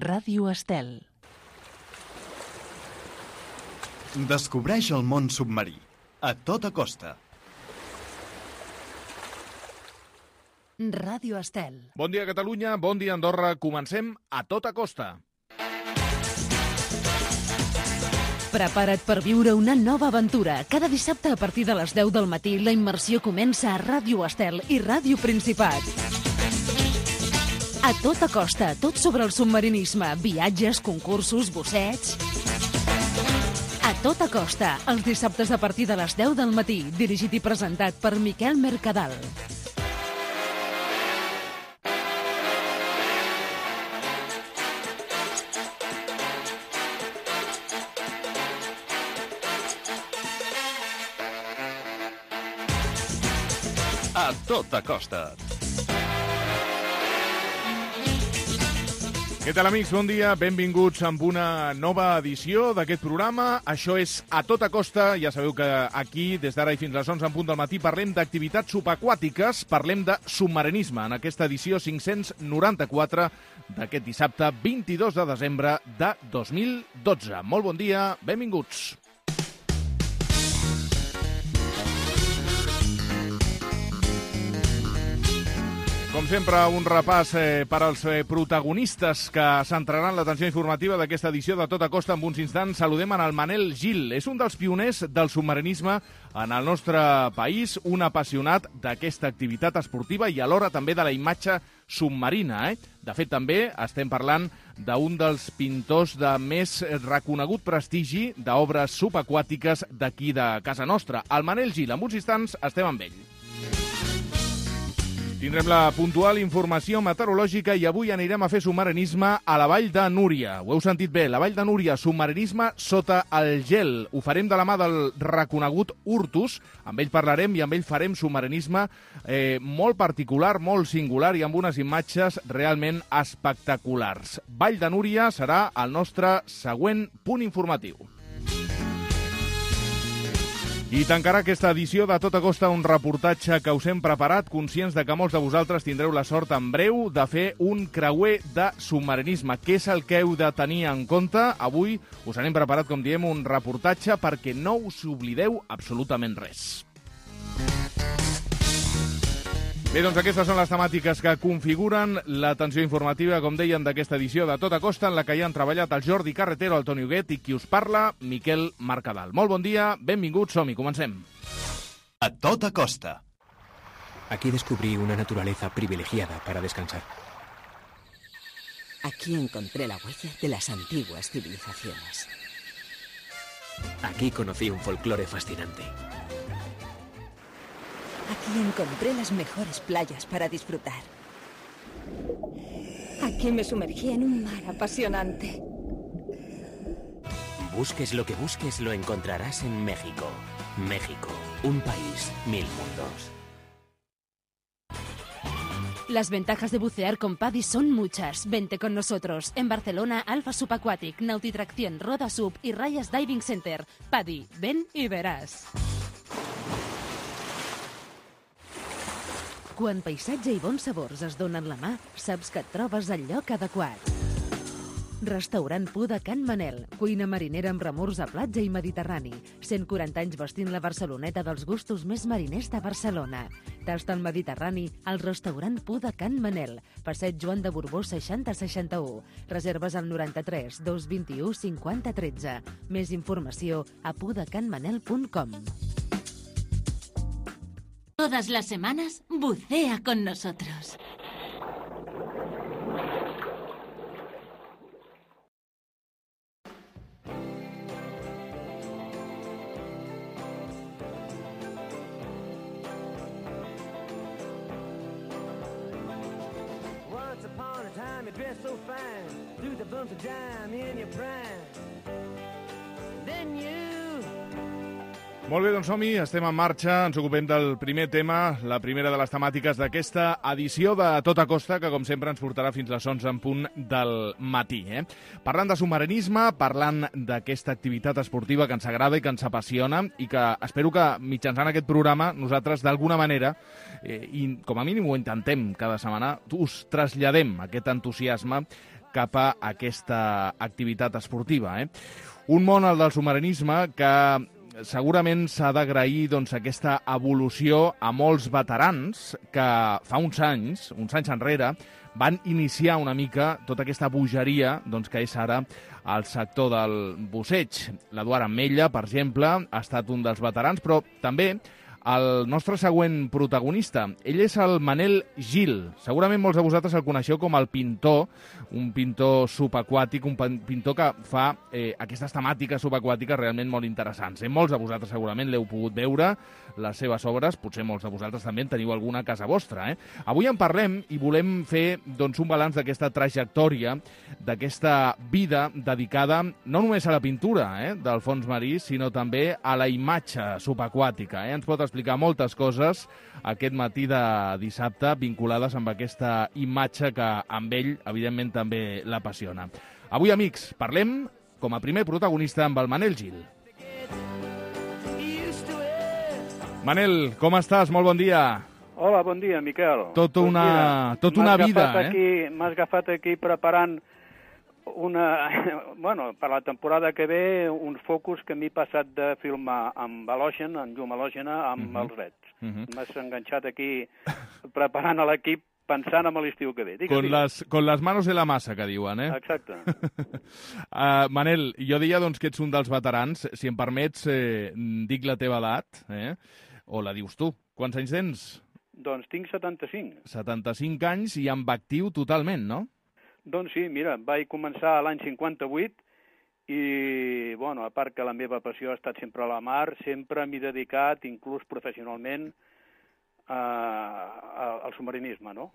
Ràdio Estel. Descobreix el món submarí, a tota costa. Ràdio Estel. Bon dia, Catalunya, bon dia, Andorra. Comencem a tota costa. Prepara't per viure una nova aventura. Cada dissabte a partir de les 10 del matí la immersió comença a Ràdio Estel i Ràdio Principat. A tota costa, tot sobre el submarinisme, viatges, concursos, busseigs. A tota costa, els dissabtes a partir de les 10 del matí, dirigit i presentat per Miquel Mercadal. A tota costa. Què tal, amics? Bon dia, benvinguts amb una nova edició d'aquest programa. Això és A Tota Costa. Ja sabeu que aquí, des d'ara i fins a les 11 en punt del matí, parlem d'activitats subaquàtiques, parlem de submarinisme, en aquesta edició 594 d'aquest dissabte 22 de desembre de 2012. Molt bon dia, benvinguts. Com sempre, un repàs per als protagonistes que centraran l'atenció informativa d'aquesta edició de Tota Costa. En uns instants saludem en el Manel Gil. És un dels pioners del submarinisme en el nostre país, un apassionat d'aquesta activitat esportiva i alhora també de la imatge submarina. De fet, també estem parlant d'un dels pintors de més reconegut prestigi d'obres subaquàtiques d'aquí de casa nostra. El Manel Gil, en uns instants estem amb ell. Tindrem la puntual informació meteorològica i avui anirem a fer submarinisme a la Vall de Núria. Ho heu sentit bé, la Vall de Núria, submarinisme sota el gel. Ho farem de la mà del reconegut Urtus. Amb ell parlarem i amb ell farem submarinisme molt particular, molt singular i amb unes imatges realment espectaculars. Vall de Núria serà el nostre següent punt informatiu. I tancarà aquesta edició de Tota Costa un reportatge que us hem preparat, conscients de que molts de vosaltres tindreu la sort en breu de fer un creuer de submarinisme. Què és el que heu de tenir en compte? Avui us hem preparat, com diem, un reportatge perquè no us oblideu absolutament res. Bé, doncs aquestes són les temàtiques que configuren l'atenció informativa, com deien, d'aquesta edició de Tota Costa, en la que hi han treballat el Jordi Carretero, el Toni Huguet i qui us parla, Miquel Mercadal. Molt bon dia, benvinguts, som-hi, comencem. A tota costa. Aquí descubrí una naturaleza privilegiada para descansar. Aquí encontré la huella de las antiguas civilizaciones. Aquí conocí un folclore fascinante. Aquí encontré las mejores playas para disfrutar. Aquí me sumergí en un mar apasionante. Busques lo que busques, lo encontrarás en México. México, un país, 1000 mundos. Las ventajas de bucear con PADI son muchas. Vente con nosotros. En Barcelona, Alfa Subaquatic, Nautitracción, Roda Sub y Rayas Diving Center. PADI, ven y verás. Quan paisatge i bons sabors es donen la mà, saps que et trobes al lloc adequat. Restaurant Pu de Can Manel, cuina marinera amb remors a platja i mediterrani. 140 anys vestint la Barceloneta dels gustos més mariners de Barcelona. Tasta el Mediterrani al restaurant Pu de Can Manel, passeig Joan de Borbó 6061. Reserves al 93 221 50 13. Més informació a pudecanmanel.com. Todas las semanas, bucea con nosotros. Once upon a time you dressed so fine, threw the bumps of dime in your prime. Then you... Molt bé, doncs som-hi, estem en marxa, ens ocupem del primer tema, la primera de les temàtiques d'aquesta edició de Tota Costa, que com sempre ens portarà fins a les 11 en punt del matí. Parlant de submarinisme, parlant d'aquesta activitat esportiva que ens agrada i que ens apassiona i que espero que mitjançant aquest programa nosaltres d'alguna manera, i com a mínim ho intentem cada setmana, us traslladem aquest entusiasme cap a aquesta activitat esportiva. Un món, el del submarinisme, que segurament s'ha d'agrair aquesta evolució a molts veterans que fa uns anys enrere, van iniciar una mica tota aquesta bogeria que és ara el sector del busseig. L'Eduard Ametlla, per exemple, ha estat un dels veterans, però també el nostre següent protagonista. Ell és el Manel Gil. Segurament molts de vosaltres el coneixeu com el pintor, un pintor subaquàtic, un pintor que fa aquestes temàtiques subaquàtiques realment molt interessants. Molts de vosaltres segurament l'heu pogut veure, les seves obres, potser molts de vosaltres també en teniu alguna a casa vostra. Avui en parlem i volem fer un balanç d'aquesta trajectòria, d'aquesta vida dedicada no només a la pintura del fons marí, sinó també a la imatge subaquàtica. Ens pot explicar moltes coses aquest matí de dissabte vinculades amb aquesta imatge que amb ell, evidentment, també l'apassiona. Avui, amics, parlem com a primer protagonista amb el Manel Gil. Manel, com estàs? Molt bon dia. Hola, bon dia, Miquel. Tota una vida, M'has agafat aquí preparant per la temporada que ve, uns focus que m'he passat de filmar amb halògen, amb llum halògena, amb els reds. M'has enganxat aquí preparant a l'equip pensant en l'estiu que ve. Con las manos en la massa, que diuen, Exacte. Manel, jo deia que ets un dels veterans. Si em permets, dic la teva edat, o la dius tu. Quants anys tens? Doncs tinc 75. 75 anys i amb actiu totalment, no? Doncs sí, mira, vaig començar l'any 58 i, a part que la meva passió ha estat sempre a la mar, sempre m'he dedicat, inclús professionalment, al submarinisme, no?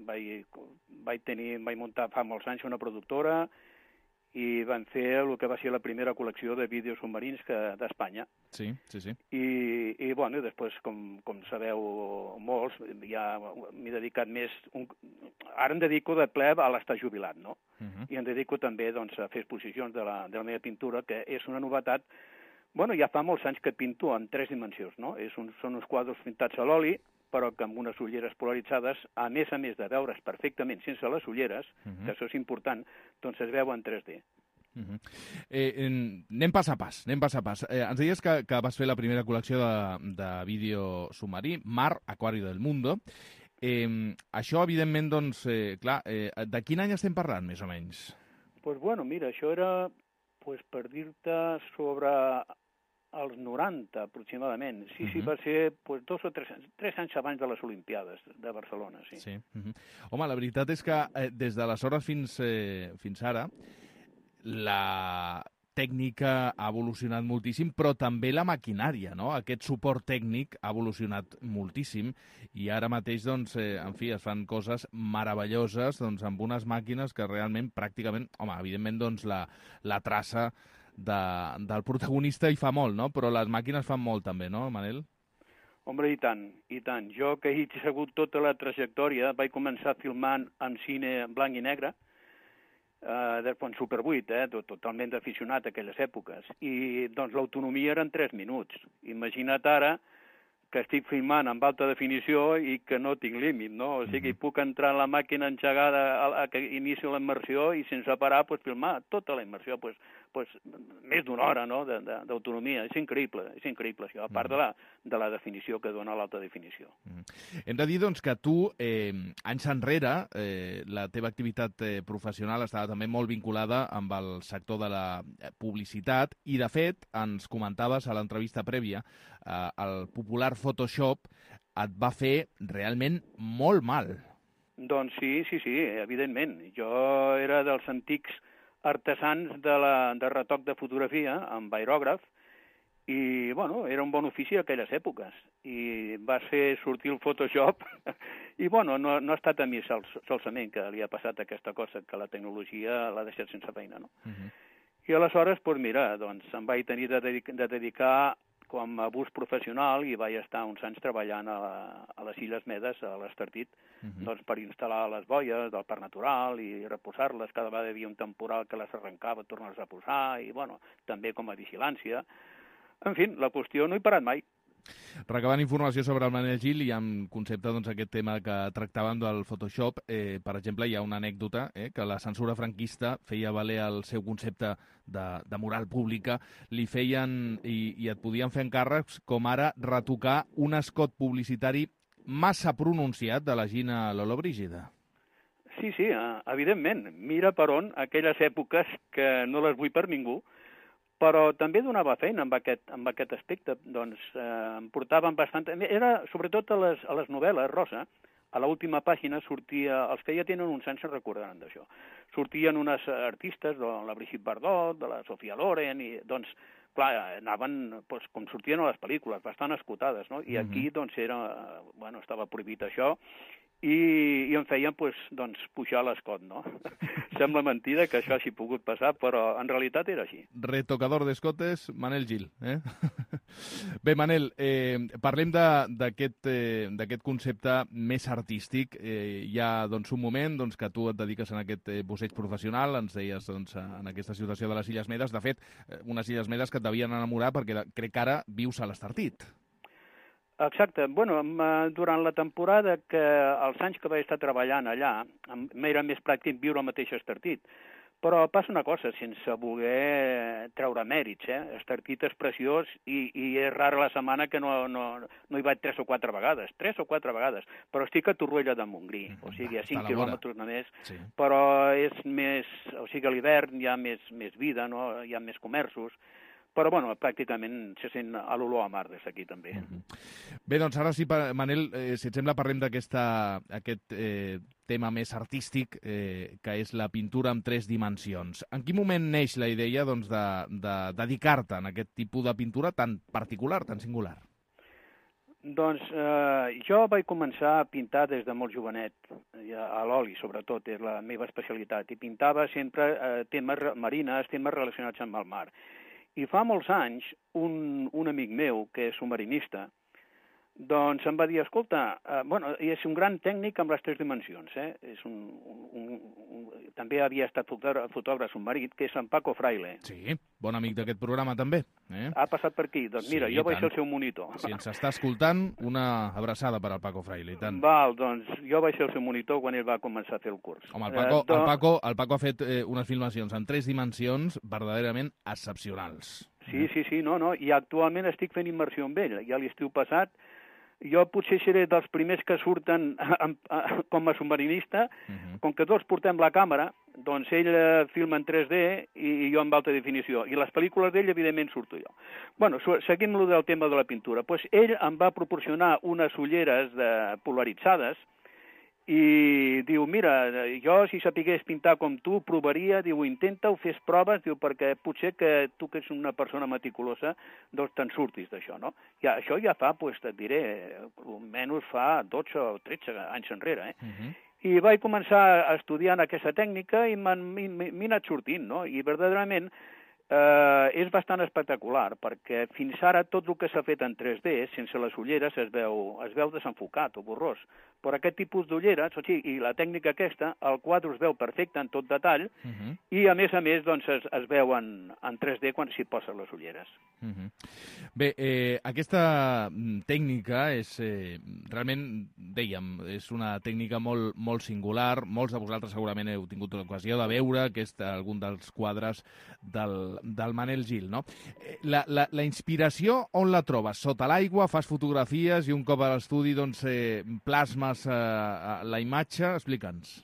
Vaig muntar fa molts anys una productora i van fer el que va ser la primera col·lecció de vídeos submarins d'Espanya. Sí. I després, com sabeu molts, ja m'he dedicat més... Ara em dedico de ple a l'estar jubilat, no? I em dedico també a fer exposicions de la meva pintura, que és una novetat. Ja fa molts anys que pinto en 3 dimensions, no? Són uns quadres pintats a l'oli, però que amb unes ulleres polaritzades, a més de veure's perfectament sense les ulleres, que això és important, doncs es veu en 3D. Anem pas a pas. Ens deies que vas fer la primera col·lecció de vídeo submarí, Mar, Acuario del Mundo. Això, evidentment, clar, de quin any estem parlant, més o menys? Doncs, mira, això era, per dir-te, sobre als 90, aproximadament. Sí, va ser 2 o 3 anys abans de les Olimpiades de Barcelona, sí. Home, la veritat és que des d'aleshores fins ara la tècnica ha evolucionat moltíssim, però també la maquinària, no? Aquest suport tècnic ha evolucionat moltíssim i ara mateix, es fan coses meravelloses amb unes màquines que realment, pràcticament, evidentment, la traça del protagonista hi fa molt, no? Però les màquines fan molt també, no, Manel? Home, i tant. Jo, que he segut tota la trajectòria, vaig començar filmant en cine blanc i negre, en Super 8, totalment aficionat a aquelles èpoques. I, l'autonomia eren 3 minuts. Imagina't ara que estic filmant amb alta definició i que no tinc límit, no? O sigui, puc entrar en la màquina engegada que inicio la immersió i sense parar filmar tota la immersió, més d'una hora, no?, d'autonomia. És increïble, això, a part de la definició que dona l'alta definició. Hem de dir, que tu, anys enrere, la teva activitat professional estava també molt vinculada amb el sector de la publicitat i, de fet, ens comentaves a l'entrevista prèvia, el popular Photoshop et va fer realment molt mal. Doncs sí, evidentment. Jo era dels antics artesans de retoc de fotografia amb aerògraf i, era un bon ofici a aquelles èpoques. I va fer sortir el Photoshop i, no ha estat a mi solament que li ha passat aquesta cosa, que la tecnologia l'ha deixat sense feina, no? I aleshores, em vaig tenir de dedicar com a bus professional i vaig estar uns anys treballant a les Illes Medes, a l'Estartit, per instal·lar les boies del Parc Natural i reposar-les. Cada vegada hi havia un temporal que les arrencava, tornar-les a posar, i, també com a vigilància. En fi, la qüestió no he parat mai. Recabant informació sobre el Manel Gil i en concepte aquest tema que tractàvem del Photoshop, per exemple, hi ha una anècdota que la censura franquista feia valer el seu concepte de moral pública, li feien i et podien fer encàrrecs com ara retocar un escot publicitari massa pronunciat de la Gina Lollobrigida. Sí, evidentment. Mira per on aquelles èpoques que no les vull per ningú, però també donava feina amb aquest aspecte. Doncs em portaven bastant... Era sobretot a les novel·les, Rosa, a l'última pàgina sortia... Els que ja tenen uns anys se'n recordaran d'això. Sortien unes artistes, la Brigitte Bardot, de la Sofia Loren, i doncs, clar, anaven, com sortien a les pel·lícules, bastant escotades, no? I aquí, doncs, estava prohibit això, i em feien pujar l'escot, no? Sembla mentida que això hagi pogut passar, però en realitat era així. Retocador d'escotes, Manel Gil. Bé, Manel, parlem d'aquest concepte més artístic. Hi ha un moment que tu et dediques a aquest busseig professional, ens deies en aquesta situació de les Illes Medes. De fet, unes Illes Medes que et devien enamorar perquè crec que ara vius a l'Estartit. Exacte. Durant la temporada, els anys que vaig estar treballant allà, m'era més pràctic viure al mateix Estartit. Però passa una cosa, sense voler treure mèrits, Estartit és preciós i és rara la setmana que no hi vaig 3 o 4 vegades, però estic a Torroella de Montgrí, o sigui, a 5 quilòmetres només, sí. Però és més, o sigui, a l'hivern hi ha més vida, no? Hi ha més comerços, però, pràcticament se sent a l'olor a mar des d'aquí, també. Bé, doncs ara sí, Manel, si et sembla, parlem d'aquest tema més artístic, que és la pintura en 3 dimensions. En quin moment neix la idea de dedicar-te a aquest tipus de pintura tan particular, tan singular? Doncs jo vaig començar a pintar des de molt jovenet, a l'oli, sobretot, és la meva especialitat, i pintava sempre temes marines, temes relacionats amb el mar. I fa molts anys, un amic meu, que és submarinista, doncs em va dir, escolta, és un gran tècnic amb les 3 dimensions, també havia estat fotògraf submarí, que és en Paco Fraile. Sí, bon amic d'aquest programa també. Ha passat per aquí, doncs mira, jo vaig ser el seu monitor. Si ens està escoltant, una abraçada per al Paco Fraile, i tant. Val, doncs jo vaig ser el seu monitor quan ell va començar a fer el curs. Home, el Paco ha fet unes filmacions en 3 dimensions verdaderament excepcionals. Sí, no, i actualment estic fent immersió amb ell, ja l'estiu passat. Jo potser seré dels primers que surten com a submarinista, com que tots portem la càmera, doncs ell filma en 3D i jo en alta definició. I les pel·lícules d'ell, evidentment, surto jo. Seguint-lo del tema de la pintura, doncs ell em va proporcionar unes ulleres polaritzades i diu, mira, jo si sapigués pintar com tu, provaria, diu, intenta-ho, fes proves, diu, perquè potser que tu que ets una persona meticulosa, doncs te'n surtis d'això, no? Això ja fa, doncs et diré, almenys fa 12 o 13 anys enrere, I vaig començar estudiant aquesta tècnica i m'he anat sortint, no? I verdaderament és bastant espectacular, perquè fins ara tot el que s'ha fet en 3D, sense les ulleres, es veu desenfocat o borrós. Però aquest tipus d'ulleres, i la tècnica aquesta, el quadre es veu perfecte en tot detall, i a més, doncs, es veu en 3D quan s'hi posen les ulleres. Bé, aquesta tècnica és, realment, dèiem, és una tècnica molt, molt singular. Molts de vosaltres segurament heu tingut l'ocasió de veure algun dels quadres del Manel Gil, no? La inspiració on la trobes? Sota l'aigua, fas fotografies i un cop a l'estudi doncs, plasmes la imatge? Explica'ns.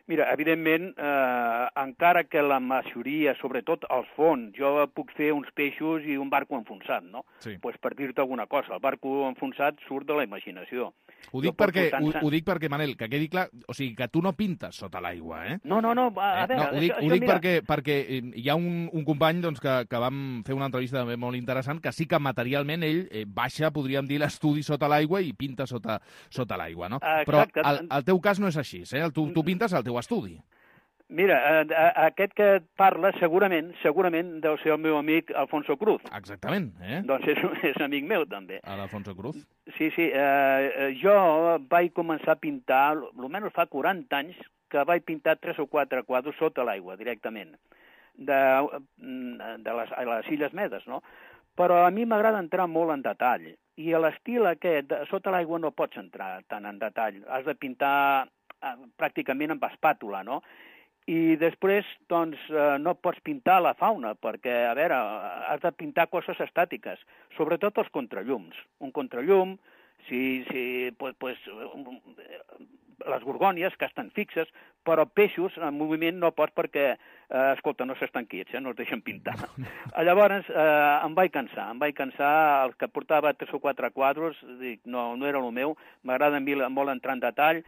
Mira, evidentment, encara que la majoria, sobretot als fons, jo puc fer uns peixos i un barco enfonsat, no? Sí. Pues per dir-te alguna cosa, el barco enfonsat surt de la imaginació. Ho dic perquè, Manel, que quedi clar, o sigui, que tu no pintes sota l'aigua, eh? No, a veure... Ho dic perquè hi ha un company doncs, que vam fer una entrevista també molt interessant, que sí que materialment ell baixa, podríem dir, l'estudi sota l'aigua i pinta sota l'aigua, no? Exacte. Però el teu cas no és així, eh? Tu pintes al teu estudi. Mira, aquest que et parla segurament deu ser el meu amic Alfonso Cruz. Exactament, eh? Doncs és amic meu, també. L'Alfonso Cruz. Sí. Jo vaig començar a pintar, almenys fa 40 anys, que vaig pintar 3 o 4 quadres sota l'aigua, directament, de les Illes Medes, no? Però a mi m'agrada entrar molt en detall. I a l'estil aquest, sota l'aigua no pots entrar tant en detall. Has de pintar pràcticament amb espàtula, no? I després, doncs, no pots pintar la fauna, perquè, a veure, has de pintar coses estàtiques, sobretot els contrallums. Un contrallum, les gorgònies, que estan fixes, però peixos en moviment no pots perquè, escolta, no s'estan quiets, no es deixen pintar. Llavors em vaig cansar, el que portava 3 o 4 quadros, dic, no era el meu, m'agrada molt entrar en detall,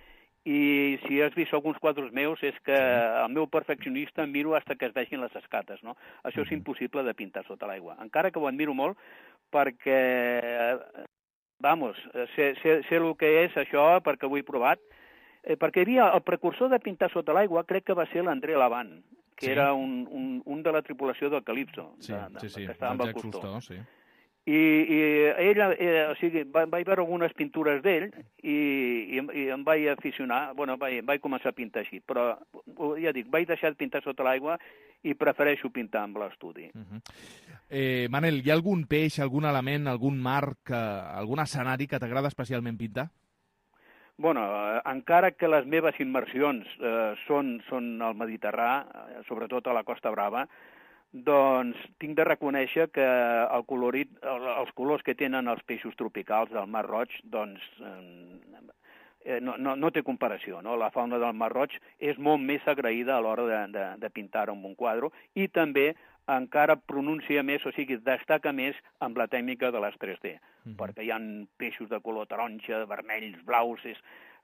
i si has vist alguns quadros meus és que el meu perfeccionista em miro fins que es vegin les escates, no? Això és impossible de pintar sota l'aigua, encara que ho admiro molt perquè, sé el que és això perquè ho he provat, perquè hi havia el precursor de pintar sota l'aigua, crec que va ser l'André Lavant, que era un de la tripulació del Calypso, que estava amb el Cousteau. I ell, o sigui, vaig veure algunes pintures d'ell i em vaig aficionar, vaig començar a pintar així, però ja dic, vaig deixar de pintar sota l'aigua i prefereixo pintar amb l'estudi. Manel, hi ha algun peix, algun element, algun mar, algun escenari que t'agrada especialment pintar? Encara que les meves immersions són al Mediterrani, sobretot a la Costa Brava, doncs tinc de reconèixer que el colorit, els colors que tenen els peixos tropicals del Mar Roig, doncs no té comparació, no? La fauna del Mar Roig és molt més agraïda a l'hora de pintar amb un quadre i també encara pronuncia més, o sigui, destaca més amb la tècnica de les 3D, perquè hi ha peixos de color taronja, vermells, blaus,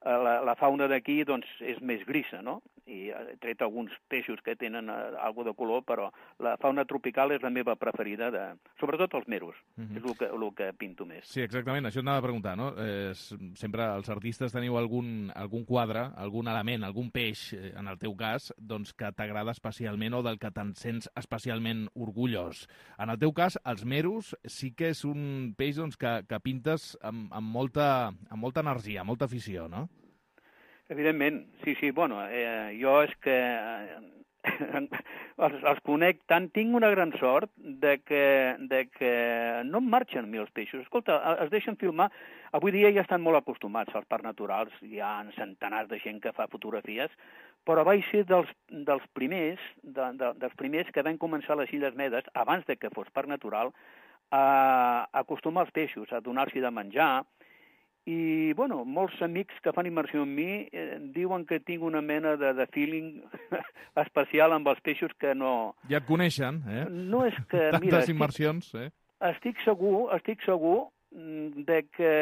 la fauna d'aquí doncs, és més grisa, no? I he tret alguns peixos que tenen alguna de color, però la fauna tropical és la meva preferida, sobretot els meros, és el que pinto més. Sí, exactament, això t'anava a preguntar, no? Sempre els artistes teniu algun quadre, algun element, algun peix, en el teu cas, doncs, que t'agrada especialment o del que te'n sents especialment orgullós. En el teu cas, els meros sí que és un peix doncs, que pintes amb molta energia, amb molta afició, no? Evidentment, sí, jo és que els conec tant, tinc una gran sort de que no em marxen a mi els peixos. Escolta, es deixen filmar, avui dia ja estan molt acostumats als parcs naturals, hi ha centenars de gent que fa fotografies, però vaig ser dels primers que van començar a les Illes Medes, abans de que fos parc natural, a acostumar els peixos, a donar-s'hi de menjar. I, molts amics que fan immersió en mi diuen que tinc una mena de feeling especial amb els peixos que no... Ja et coneixen, eh? No és que... Tantes immersions, eh? Estic segur de que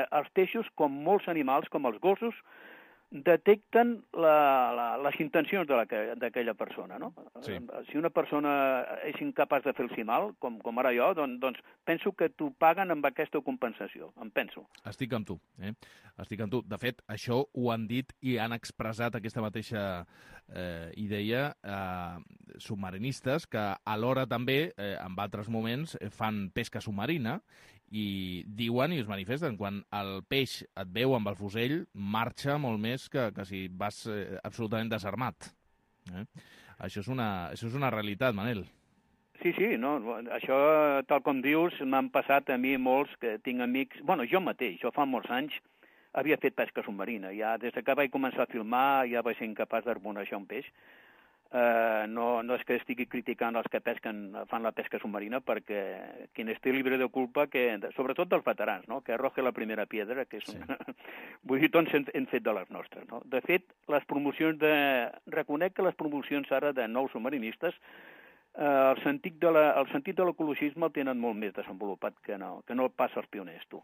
els peixos, com molts animals, com els gossos, detecten les intencions d'aquella persona, no? Sí. Si una persona és incapaç de fer-los mal, com ara jo, doncs penso que t'ho paguen amb aquesta compensació, em penso. Estic amb tu, Estic amb tu. De fet, això ho han dit i han expressat aquesta mateixa idea submarinistes que alhora també, en altres moments, fan pesca submarina i diuen i es manifesten quan el peix et veu amb el fusell marxa molt més que si vas absolutament desarmat. Això és una realitat, Manel. Sí, no, això, tal com dius, m'han passat a mi molts que tinc amics... Jo mateix, jo fa molts anys havia fet pesca submarina. Ja des que vaig començar a filmar ja vaig ser incapaç d'harmonejar un peix. No és que estigui criticant els que fan la pesca submarina, perquè quien esté libre de culpa, sobretot dels veterans, no? Que arroje la primera piedra, que és vull dir, tots hem fet de les nostres, no? De fet, reconec que les promocions ara de nous submarinistes el sentit de l'ecologisme el tenen molt més desenvolupat que no pas els pioners, tu.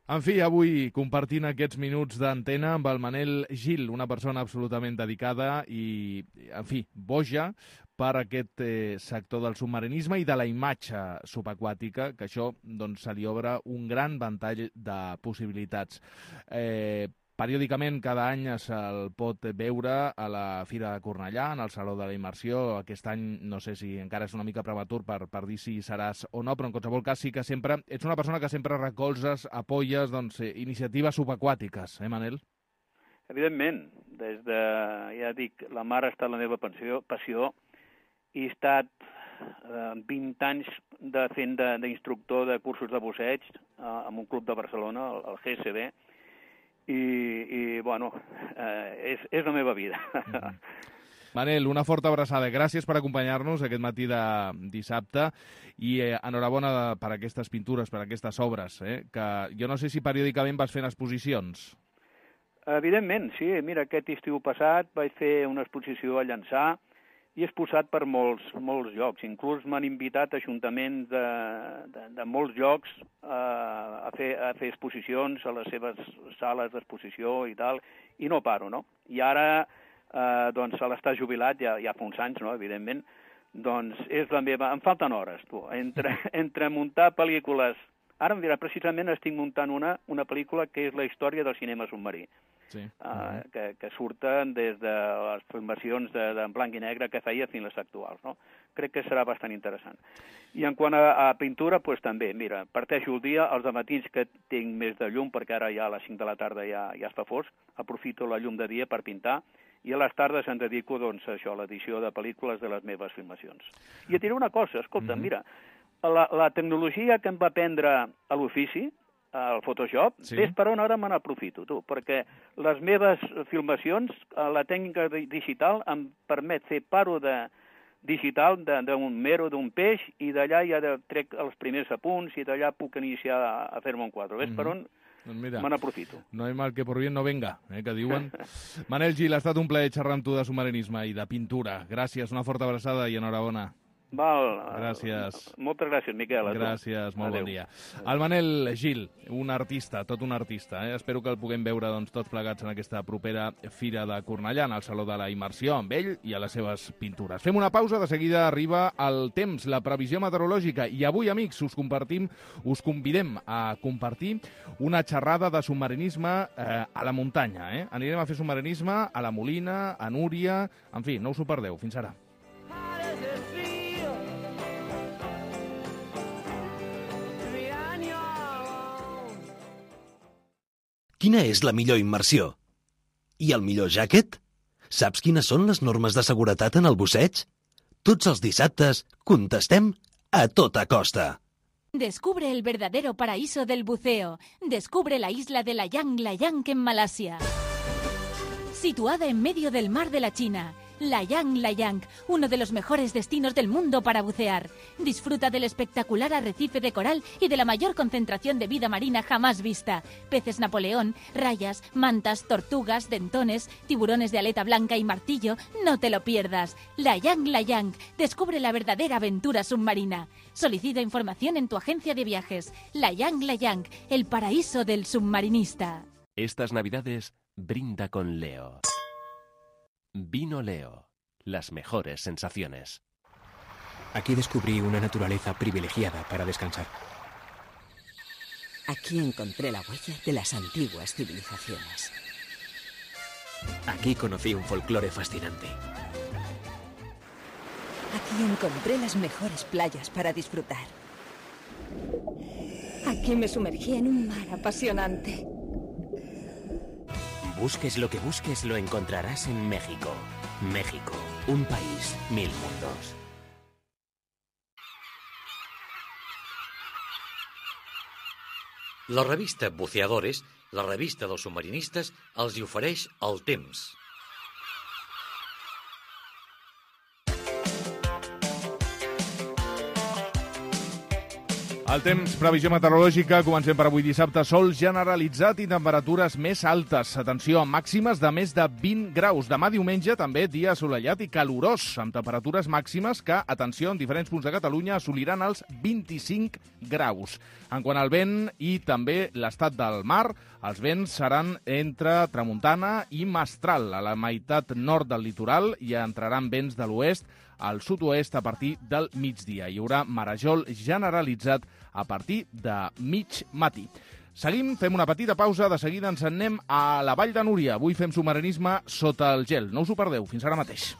En fi, avui compartint aquests minuts d'antena amb el Manel Gil, una persona absolutament dedicada i, en fi, boja per aquest sector del submarinisme i de la imatge subaquàtica, que això doncs, se li obre un gran ventall de possibilitats. Periòdicament, cada any se'l pot veure a la Fira de Cornellà, en el Saló de la Immersió. Aquest any no sé si encara és una mica prematur per dir si seràs o no, però en qualsevol cas sí que sempre ets una persona que sempre recolzes, apoyes iniciatives subaquàtiques, Manel? Evidentment, ja dic, la mar ha estat la meva passió i he estat 20 anys fent d'instructor de cursos de busseig en un club de Barcelona, el GSB, i bueno, és la meva vida. Manel, una forta abraçada. Gràcies per acompanyar-nos aquest matí de dissabte i enhorabona per aquestes pintures, per aquestes obres, que jo no sé si periòdicament vas fent exposicions. Evidentment, sí. Mira, aquest estiu passat vaig fer una exposició a Llançà i he exposat per molts llocs. Inclús m'han invitat ajuntaments de molts llocs a fer exposicions a les seves sales d'exposició i tal, i no paro, no? I ara, doncs, a l'estar jubilat, ja fa uns anys, no?, evidentment, doncs és la meva... Em falten hores, tu, entre muntar pel·lícules. Ara, mira, precisament estic muntant una pel·lícula que és la història del cinema submarí. Sí. Que surten des de les filmacions en blanc i negre que feia fins les actuals, no? Crec que serà bastant interessant. I en quant a pintura, doncs també, mira, parteixo el dia, els dematins que tinc més de llum, perquè ara ja a les 5 de la tarda ja es fa fosc, aprofito la llum de dia per pintar, i a les tardes em dedico, doncs, a això, a l'edició de pel·lícules de les meves filmacions. I et diré una cosa, escolta, mira, la tecnologia que em va aprendre a l'ofici, al Photoshop, ves per on ara me n'aprofito, tu, perquè les meves filmacions, la tècnica digital em permet fer paro digital d'un mero, d'un peix, i d'allà ja trec els primers apunts i d'allà puc iniciar a fer-me un quadre. Ves per on me n'aprofito. No hay mal que por bien no venga, que diuen. Manel Gil, ha estat un plaer xerrar amb tu de submarinisme i de pintura. Gràcies, una forta abraçada i enhorabona. Val. Gràcies. Moltes gràcies, Miquel. Gràcies, molt bon dia. El Manel Gil, un artista, tot un artista. Espero que el puguem veure tots plegats en aquesta propera Fira de Cornellà, en el Saló de la Immersió, amb ell i a les seves pintures. Fem una pausa, de seguida arriba el temps, la previsió meteorològica, i avui, amics, us convidem a compartir una xerrada de submarinisme a la muntanya. Anirem a fer submarinisme a la Molina, a Núria... En fi, no us ho perdeu. Fins ara. Quina és la millor immersió? I el millor jàquet? Saps quines són les normes de seguretat en el busseig? Tots els dissabtes contestem a tota costa. Descubre el verdadero paraíso del buceo. Descubre la isla de Layang Layang en Malasia. Situada en medio del mar de la China, Layang Layang, uno de los mejores destinos del mundo para bucear. Disfruta del espectacular arrecife de coral y de la mayor concentración de vida marina jamás vista. Peces Napoleón, rayas, mantas, tortugas, dentones, tiburones de aleta blanca y martillo. No te lo pierdas. Layang Layang, descubre la verdadera aventura submarina. Solicita información en tu agencia de viajes. Layang Layang, el paraíso del submarinista. Estas Navidades brinda con Leo. Vino Leo, las mejores sensaciones. Aquí descubrí una naturaleza privilegiada para descansar. Aquí encontré la huella de las antiguas civilizaciones. Aquí conocí un folclore fascinante. Aquí encontré las mejores playas para disfrutar. Aquí me sumergí en un mar apasionante. Busques lo que busques, lo encontrarás en México. México, un país, 1000 mundos. La revista Buceadores, la revista dels submarinistes, els hi ofereix el temps. El temps, previsió meteorològica, comencem per avui dissabte, sol generalitzat i temperatures més altes. Atenció, màximes de més de 20 graus. Demà diumenge també dia assolellat i calorós, amb temperatures màximes que, atenció, en diferents punts de Catalunya assoliran els 25 graus. En quant al vent i també l'estat del mar, els vents seran entre tramuntana i mestral. A la meitat nord del litoral hi entraran vents de l'oest al sud-oest a partir del migdia. Hi haurà marejol generalitzat a partir de mig matí. Seguim, fem una petita pausa, de seguida ens en anem a la Vall de Núria. Avui fem submarinisme sota el gel. No us ho perdeu, fins ara mateix.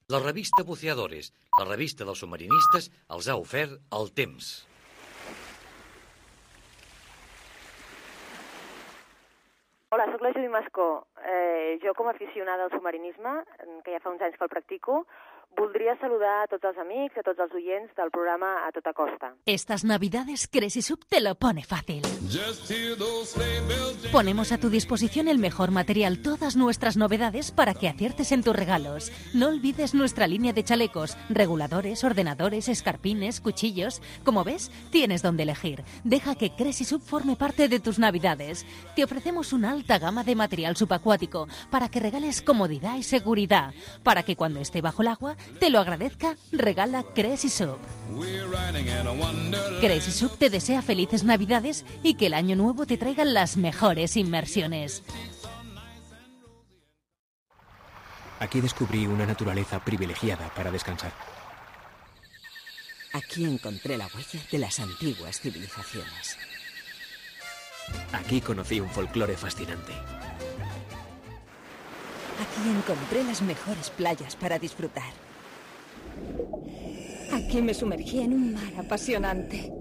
La revista Buceadores, la revista dels submarinistes, els ha ofert el temps. Hola, soc la Judit Mascó, jo com a aficionada al submarinisme, que ja fa uns anys que el practico, voldria saludar a tots els amics, a tots els oients del programa A Tota Costa. Estas Navidades Crazy Sub te lo pone fácil. Ponemos a tu disposición el mejor material, todas nuestras novedades para que aciertes en tus regalos. No olvides nuestra línea de chalecos, reguladores, ordenadores, escarpines, cuchillos. Como ves, tienes donde elegir. Deja que Crazy Sub forme parte de tus Navidades. Te ofrecemos una alta gama de material subacuático para que regales comodidad y seguridad. Para que cuando esté bajo el agua te lo agradezca, regala Crazy Sub. Crazy Sub te desea felices Navidades y que el año nuevo te traiga las mejores inmersiones. Aquí descubrí una naturaleza privilegiada para descansar. Aquí encontré la huella de las antiguas civilizaciones. Aquí conocí un folclore fascinante. Aquí encontré las mejores playas para disfrutar. Aquí me sumergí en un mar apasionante.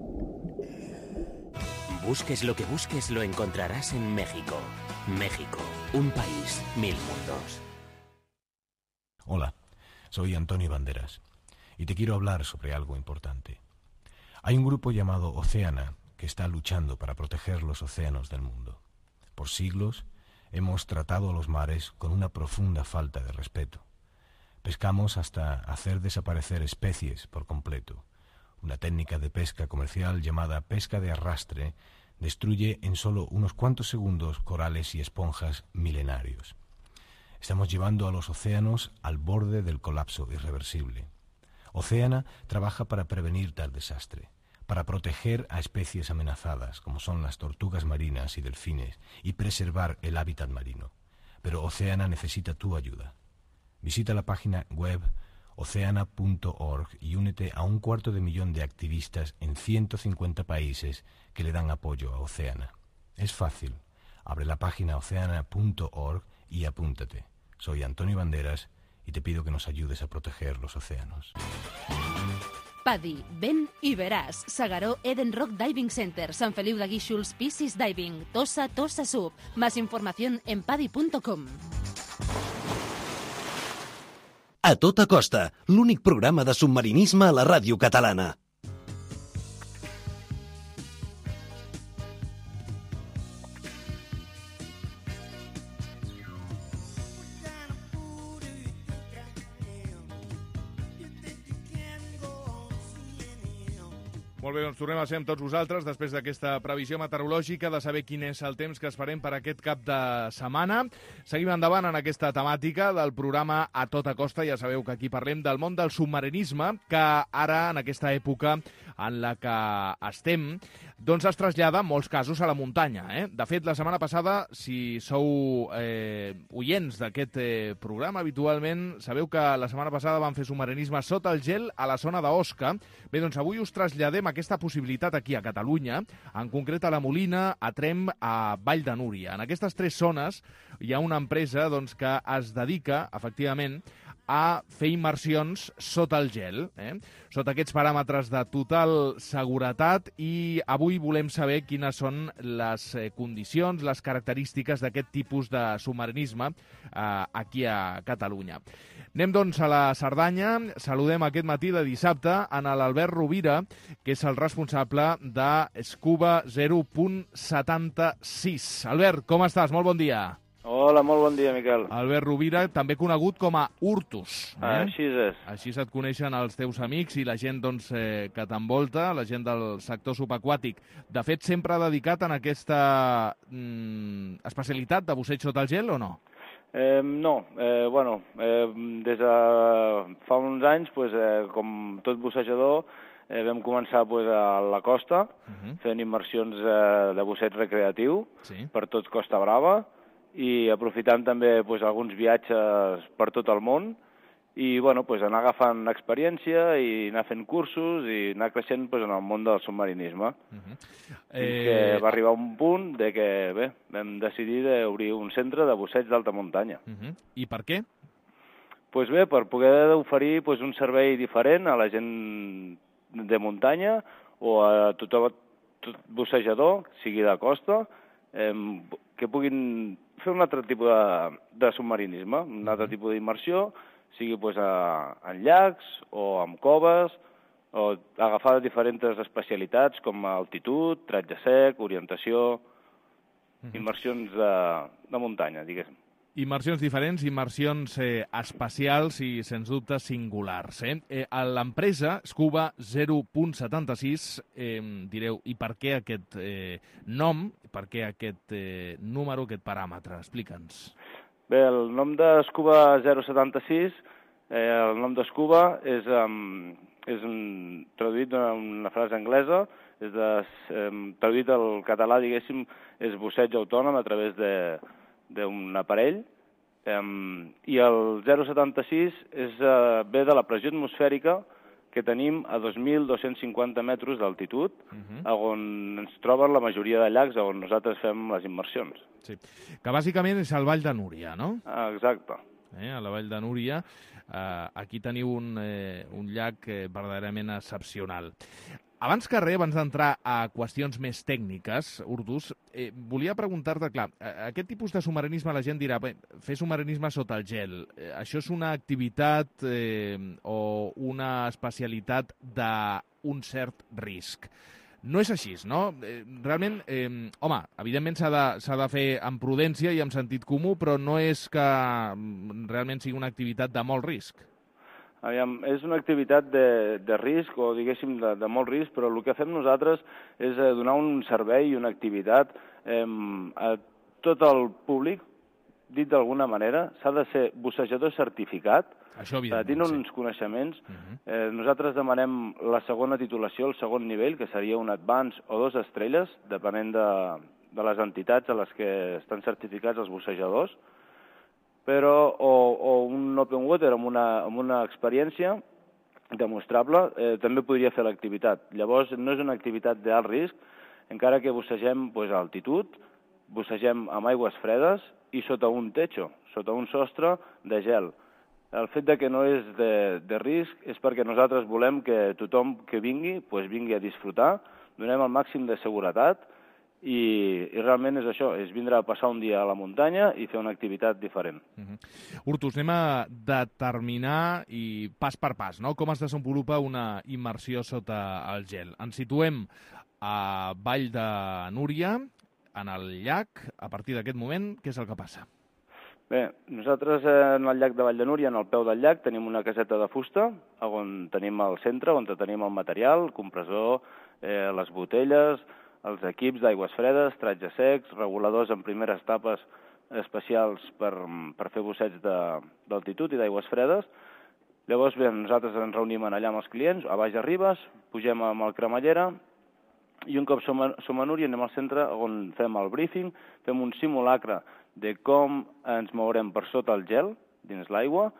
Busques lo que busques, lo encontrarás en México. México, un país, 1000 mundos. Hola, soy Antonio Banderas y te quiero hablar sobre algo importante. Hay un grupo llamado Oceana que está luchando para proteger los océanos del mundo. Por siglos hemos tratado a los mares con una profunda falta de respeto. Pescamos hasta hacer desaparecer especies por completo. Una técnica de pesca comercial llamada pesca de arrastre destruye en solo unos cuantos segundos corales y esponjas milenarios. Estamos llevando a los océanos al borde del colapso irreversible. Oceana trabaja para prevenir tal desastre, para proteger a especies amenazadas como son las tortugas marinas y delfines y preservar el hábitat marino. Pero Oceana necesita tu ayuda. Visita la página web oceana.org y únete a 250.000 de activistas en 150 países que le dan apoyo a Oceana. Es fácil. Abre la página oceana.org y apúntate. Soy Antonio Banderas y te pido que nos ayudes a proteger los océanos. PADI, ven i veràs. S'Agaró Eden Rock Diving Center, Sant Feliu de Guíxols, Piscis Diving, Tossa Sub. Más información en padi.com. A Tota Costa, l'únic programa de submarinisme a la ràdio catalana. Molt bé, doncs tornem a ser amb tots vosaltres després d'aquesta previsió meteorològica de saber quin és el temps que esperem per aquest cap de setmana. Seguim endavant en aquesta temàtica del programa A Tota Costa. Ja sabeu que aquí parlem del món del submarinisme, que ara, en aquesta època en la que estem, doncs es trasllada en molts casos a la muntanya. De fet, la setmana passada, si sou oients d'aquest programa habitualment, sabeu que la setmana passada vam fer submarinisme sota el gel a la zona d'Osca. Bé, doncs avui us traslladem aquesta possibilitat aquí a Catalunya, en concret a la Molina, a Tremp, a Vall de Núria. En aquestes tres zones hi ha una empresa doncs, que es dedica, efectivament, a fer immersions sota el gel, sota aquests paràmetres de total seguretat, i avui volem saber quines són les condicions, les característiques d'aquest tipus de submarinisme aquí a Catalunya. Anem, doncs, a la Cerdanya. Saludem aquest matí de dissabte en l'Albert Rovira, que és el responsable de Scuba 0.76. Albert, com estàs? Molt bon dia. Hola, molt bon dia, Miquel. Albert Rovira, també conegut com a Urtus. Així és. Així et coneixen els teus amics i la gent doncs, que t'envolta, la gent del sector subaquàtic. De fet, sempre ha dedicat en aquesta especialitat de busseig sota el gel o no? No, des de fa uns anys, com tot bussejador, vam començar a la costa, fent immersions de busseig recreatiu per tot Costa Brava, i aprofitant també alguns viatges per tot el món i anar agafant experiència i anar fent cursos i anar creixent en el món del submarinisme. Fins que va arribar un punt de que vam decidir d'obrir un centre de busseig d'alta muntanya. I per què? Doncs bé, per poder oferir un servei diferent a la gent de muntanya o a tot bussejador, sigui de costa, que puguin fer un altre tipus de submarinisme, un altre tipus d'immersió, sigui en llacs o en coves, o agafar diferents especialitats com altitud, tratge sec, orientació, immersions de muntanya, diguéssim. Immersions diferents, immersions espacials i, sens dubte, singulars. A l'empresa Scuba 0.76 direu, i per què aquest nom, per què aquest número, aquest paràmetre? Explica'ns. Bé, el nom de Scuba 076, el nom de Scuba és traduït d'una frase anglesa, traduït al català, diguéssim, és busseig autònom a través d'un aparell, i el 0,76 ve de la pressió atmosfèrica que tenim a 2.250 metres d'altitud, on ens troben la majoria de llacs on nosaltres fem les immersions. Sí, que bàsicament és el Vall de Núria, no? Exacte. A la Vall de Núria, aquí teniu un llac verdaderament excepcional. Abans que res, abans d'entrar a qüestions més tècniques, Urtus, volia preguntar-te, clar, aquest tipus de submarinisme la gent dirà, fer submarinisme sota el gel, això és una activitat o una especialitat d'un cert risc. No és així, no? Realment, home, evidentment s'ha de fer amb prudència i amb sentit comú, però no és que realment sigui una activitat de molt risc. Aviam, és una activitat de risc, o diguéssim de molt risc, però el que fem nosaltres és donar un servei i una activitat a tot el públic, dit d'alguna manera. S'ha de ser bussejador certificat, tenir uns coneixements. Nosaltres demanem la segona titulació, el segon nivell, que seria un Advance o 2 estrelles, depenent de les entitats a les que estan certificats els bussejadors, però o un open water amb una experiència demostrable també podria fer l'activitat. Llavors, no és una activitat d'alt risc, encara que bussegem a altitud, bussegem amb aigües fredes i sota un techo, sota un sostre de gel. El fet que no és de risc és perquè nosaltres volem que tothom que vingui a disfrutar, donem el màxim de seguretat, i realment és això, és vindre a passar un dia a la muntanya i fer una activitat diferent. Urtus, anem a determinar i pas per pas, no? Com es desenvolupa una immersió sota el gel. Ens situem a Vall de Núria, en el llac. A partir d'aquest moment, què és el que passa? Bé, nosaltres en el llac de Vall de Núria, en el peu del llac, tenim una caseta de fusta, on tenim el centre, on tenim el material, el compressor, les botelles, els equips d'aigües fredes, tratges secs, reguladors en primeres etapes especials per fer busseig d'altitud i d'aigües fredes. Llavors, bé, nosaltres ens reunim allà amb els clients, a baix arribes, pugem amb el cremallera i un cop som a Núria anem al centre on fem el briefing, fem un simulacre de com ens mourem per sota el gel, dins l'aigua,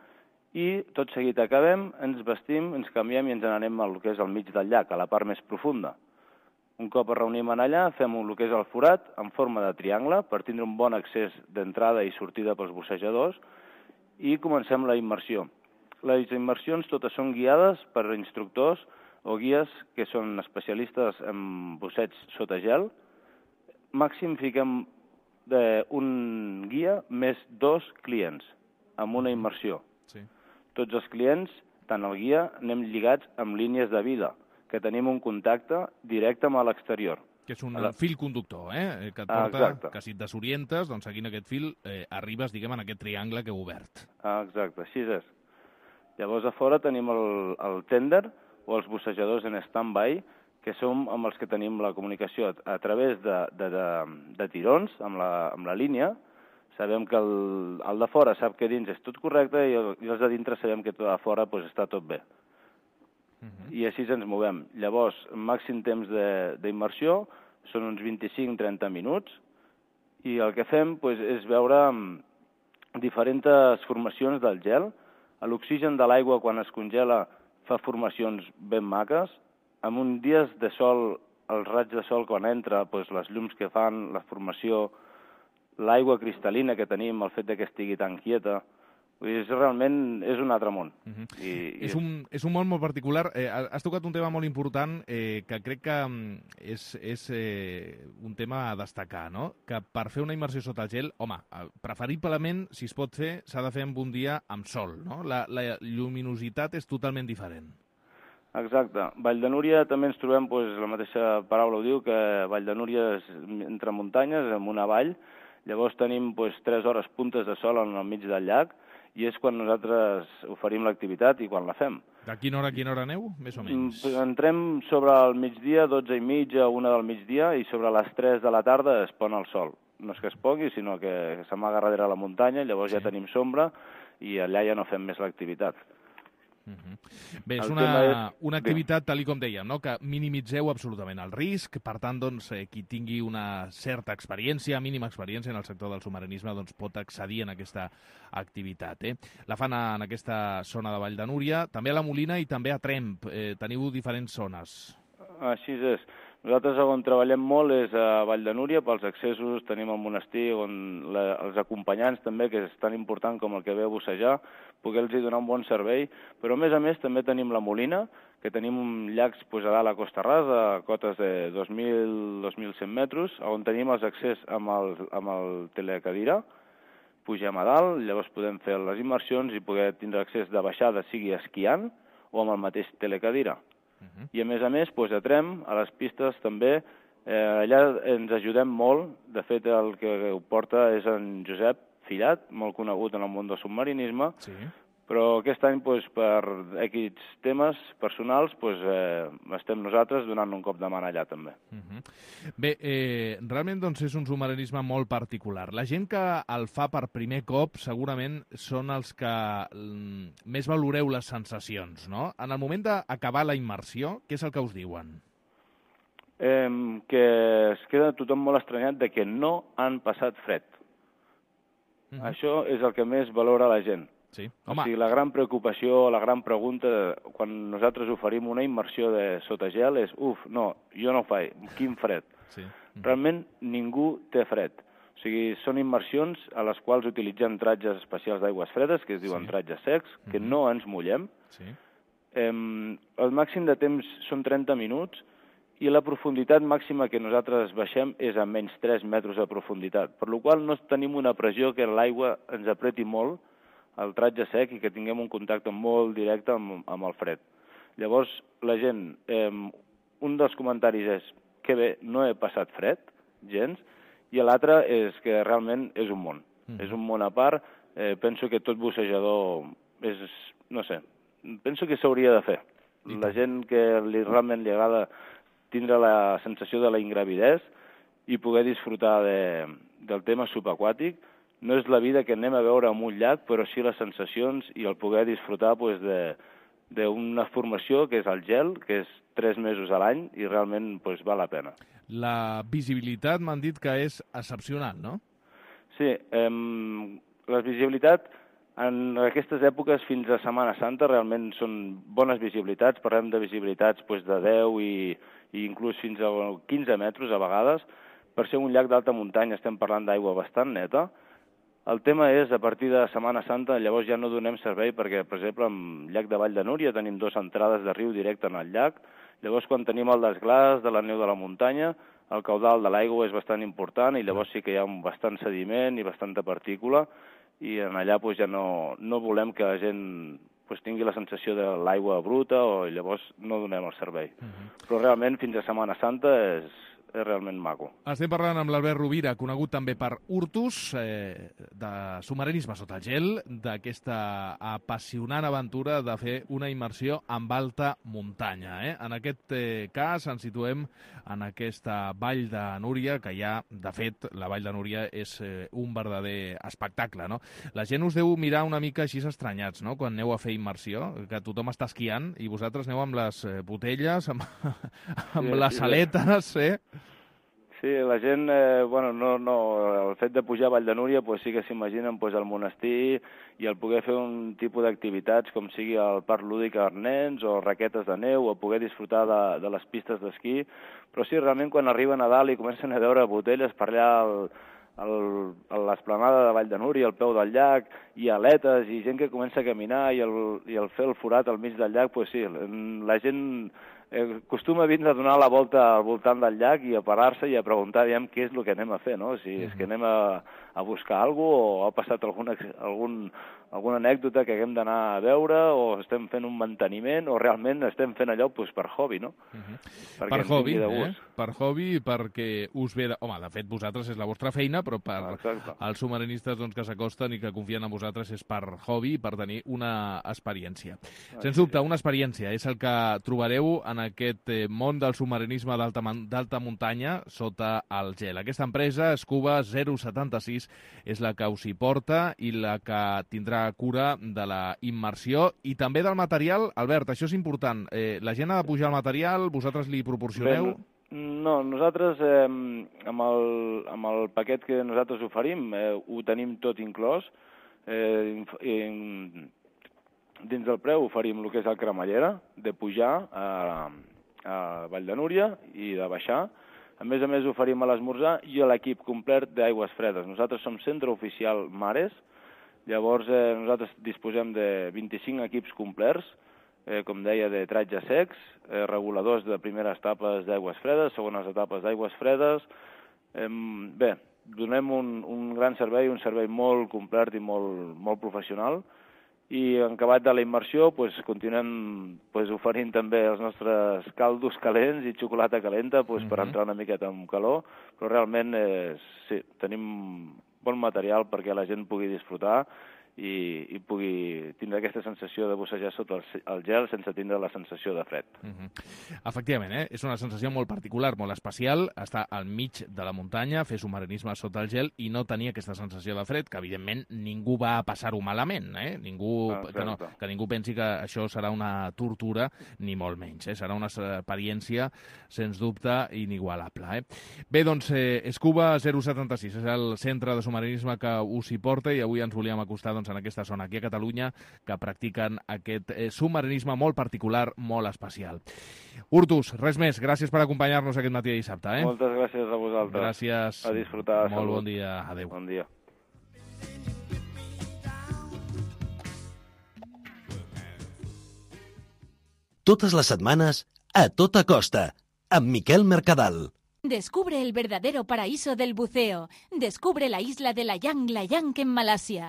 i tot seguit acabem, ens vestim, ens canviem i ens n'anem al que és al mig del llac, a la part més profunda. Un cop es reunim allà, fem el que és el forat en forma de triangle per tindre un bon accés d'entrada i sortida pels bussejadors i comencem la immersió. Les immersions totes són guiades per instructors o guies que són especialistes en busseig sota gel. Màxim fiquem un guia més 2 clients amb una immersió. Tots els clients, tant el guia, anem lligats amb línies de vida, que tenim un contacte directe amb l'exterior. Que és un fil conductor, que et porta, que si et desorientes, doncs seguint aquest fil arribes, diguem, en aquest triangle que heu obert. Exacte, així és. Llavors a fora tenim el tender o els bussejadors en stand-by, que som amb els que tenim la comunicació a través de tirons amb la línia. Sabem que el de fora sap que dins és tot correcte i els de dintre sabem que a fora està tot bé. I així ens movem. Llavors, màxim temps d'immersió són uns 25-30 minuts i el que fem és veure diferents formacions del gel. L'oxigen de l'aigua quan es congela fa formacions ben maques. En uns dies de sol, el raig de sol quan entra, les llums que fan, la formació, l'aigua cristal·lina que tenim, el fet que estigui tan quieta, Vull dir, realment és un altre món. És un món molt particular. Has tocat un tema molt important que crec que és un tema a destacar, no? Que per fer una immersió sota el gel, home, preferiblement, si es pot fer, s'ha de fer en un dia amb sol, no? La lluminositat és totalment diferent. Exacte. Vall de Núria també ens trobem, la mateixa paraula ho diu, que Vall de Núria és entre muntanyes, en una vall. Llavors tenim 3 hores puntes de sol al mig del llac, i és quan nosaltres oferim l'activitat i quan la fem. De quina hora aneu, més o menys? Entrem sobre el migdia, 12:30, 1 del migdia, i sobre les 3 de la tarda es pon el sol. No és que es pongui, sinó que s'amaga darrere la muntanya, llavors ja tenim sombra i allà ja no fem més l'activitat. Bé, és una activitat, tal com dèiem, no? Que minimitzeu absolutament el risc, per tant, doncs, qui tingui una certa experiència, mínima experiència en el sector del submarinisme, doncs pot accedir en aquesta activitat. La fan en aquesta zona de Vall de Núria, també a la Molina i també a Tremp. Teniu diferents zones. Així és. Nosaltres on treballem molt és a Vall de Núria, pels accessos tenim el monestir, on els acompanyants també, que és tan important com el que ve a bussejar, poder-los donar un bon servei, però a més també tenim la Molina, que tenim llacs a dalt a Costa Rasa, a cotes de 2.000-2.100 metres, on tenim els accés amb el telecadira, pugem a dalt, llavors podem fer les immersions i poder tindre accés de baixada, sigui esquiant o amb el mateix telecadira. I a més, a Tremp, a les pistes també, allà ens ajudem molt. De fet, el que ho porta és en Josep Fillat, molt conegut en el món del submarinisme, però aquest any, per X temes personals, estem nosaltres donant un cop de mà allà també. Bé, realment doncs, és un submarinisme molt particular. La gent que el fa per primer cop segurament són els que més valoreu les sensacions, no? En el moment d'acabar la immersió, què és el que us diuen? Que es queda tothom molt estranyat de que no han passat fred. Això és el que més valora la gent. Sí. O sigui, la gran preocupació, la gran pregunta, quan nosaltres oferim una immersió sota gel és no, jo no ho faig, quin fred. Realment ningú té fred. O sigui, són immersions a les quals utilitzem tratges especials d'aigües fredes, que es diuen tratges secs, que no ens mullem. El màxim de temps són 30 minuts i la profunditat màxima que nosaltres baixem és a menys 3 metres de profunditat, per la qual no tenim una pressió que l'aigua ens apreti molt el tratge sec i que tinguem un contacte molt directe amb el fred. Llavors, la gent, un dels comentaris és que bé, no he passat fred, gens, i l'altre és que realment és un món. És un món a part. Penso que tot bussejador és, no sé, penso que s'hauria de fer. La gent que realment li agrada tindre la sensació de la ingravidesa i poder disfrutar del tema subaquàtic. No és la vida que anem a veure en un llac, però sí les sensacions i el poder disfrutar d'una formació que és el gel, que és 3 mesos a l'any i realment val la pena. La visibilitat m'han dit que és excepcional, no? Sí, la visibilitat en aquestes èpoques fins a Setmana Santa realment són bones visibilitats. Parlem de visibilitats de 10 i inclús fins a 15 metres a vegades. Per ser un llac d'alta muntanya estem parlant d'aigua bastant neta. El tema és, a partir de Setmana Santa, llavors ja no donem servei perquè, per exemple, en el llac de Vall de Núria tenim 2 entrades de riu directe en el llac. Llavors, quan tenim el desglàs de la neu de la muntanya, el caudal de l'aigua és bastant important i llavors sí que hi ha bastant sediment i bastanta partícula i en allà ja no volem que la gent tingui la sensació de l'aigua bruta o llavors no donem el servei. Però realment fins a Setmana Santa és realment maco. Estem parlant amb l'Albert Rovira, conegut també per Urtus, de submarinisme sota gel, d'aquesta apassionant aventura de fer una immersió amb alta muntanya. En aquest cas ens situem en aquesta Vall de Núria, que ja, de fet, la Vall de Núria és un verdader espectacle, no? La gent us deu mirar una mica així estranyats, no?, quan aneu a fer immersió, que tothom està esquiant i vosaltres aneu amb les botelles, amb les aletes, Sí, la gent, el fet de pujar a Vall de Núria sí que s'imaginen el monestir i el poder fer un tipus d'activitats com sigui el parc lúdic als nens o raquetes de neu o poder disfrutar de les pistes d'esquí, però sí, realment quan arriben a dalt i comencen a veure botelles per allà a l'esplanada de Vall de Núria, al peu del llac, i aletes, i gent que comença a caminar, i el fer el forat al mig del llac, pues sí, la gent acostuma a vindre a donar la volta al voltant del llac i a parar-se i a preguntar aviam què és el que anem a fer, no? Si és que anem a buscar alguna cosa o ha passat alguna anècdota que haguem d'anar a veure o estem fent un manteniment o realment estem fent allò pues, per hobby, no? Per hobby, per hobby, perquè us ve... Home, de fet, vosaltres és la vostra feina, però per als submarinistes doncs, que s'acosten i que confien en vosaltres és per hobby i per tenir una experiència. Sens dubte, una experiència és el que trobareu en aquest món del submarinisme d'alta muntanya sota el gel. Aquesta empresa, Scuba 076, és la que us hi porta i la que tindrà cura de la immersió i també del material. Albert, això és important. La gent ha de pujar el material, vosaltres li proporcioneu? No, nosaltres amb el paquet que nosaltres oferim ho tenim tot inclòs. Dins del preu oferim el que és el cremallera, de pujar a Vall de Núria i de baixar. A més oferim a l'esmorzar i a l'equip complet d'aigües fredes. Nosaltres som centre oficial Mares, llavors nosaltres disposem de 25 equips complets, com deia, de tratges secs, reguladors de primeres etapes d'aigües fredes, segones etapes d'aigües fredes. Bé, donem un gran servei, un servei molt complet i molt professional, i en acabat de la immersió continuem oferint també els nostres caldos calents i xocolata calenta per entrar una miqueta amb calor, però realment sí, tenim bon material perquè la gent pugui disfrutar i pugui tindre aquesta sensació de bussejar sota el gel sense tindre la sensació de fred. Efectivament, és una sensació molt particular, molt especial, estar al mig de la muntanya, fer submarinisme sota el gel i no tenir aquesta sensació de fred, que evidentment ningú va a passar-ho malament, que ningú pensi que això serà una tortura, ni molt menys, serà una experiència, sens dubte, inigualable. Bé, doncs, Scuba 076 és el centre de submarinisme que us hi porta i avui ens volíem acostar en aquesta zona, aquí a Catalunya, que practiquen aquest submarinisme molt particular, molt especial. Urtus, res més. Gràcies per acompanyar-nos aquest matí de dissabte. Moltes gràcies a vosaltres. Gràcies. A disfrutar. Molt bon dia. Adéu. Bon dia. Totes les setmanes, a tota costa, amb Miquel Mercadal. Descubre el verdadero paraíso del buceo. Descubre la isla de Layang Layang en Malasia.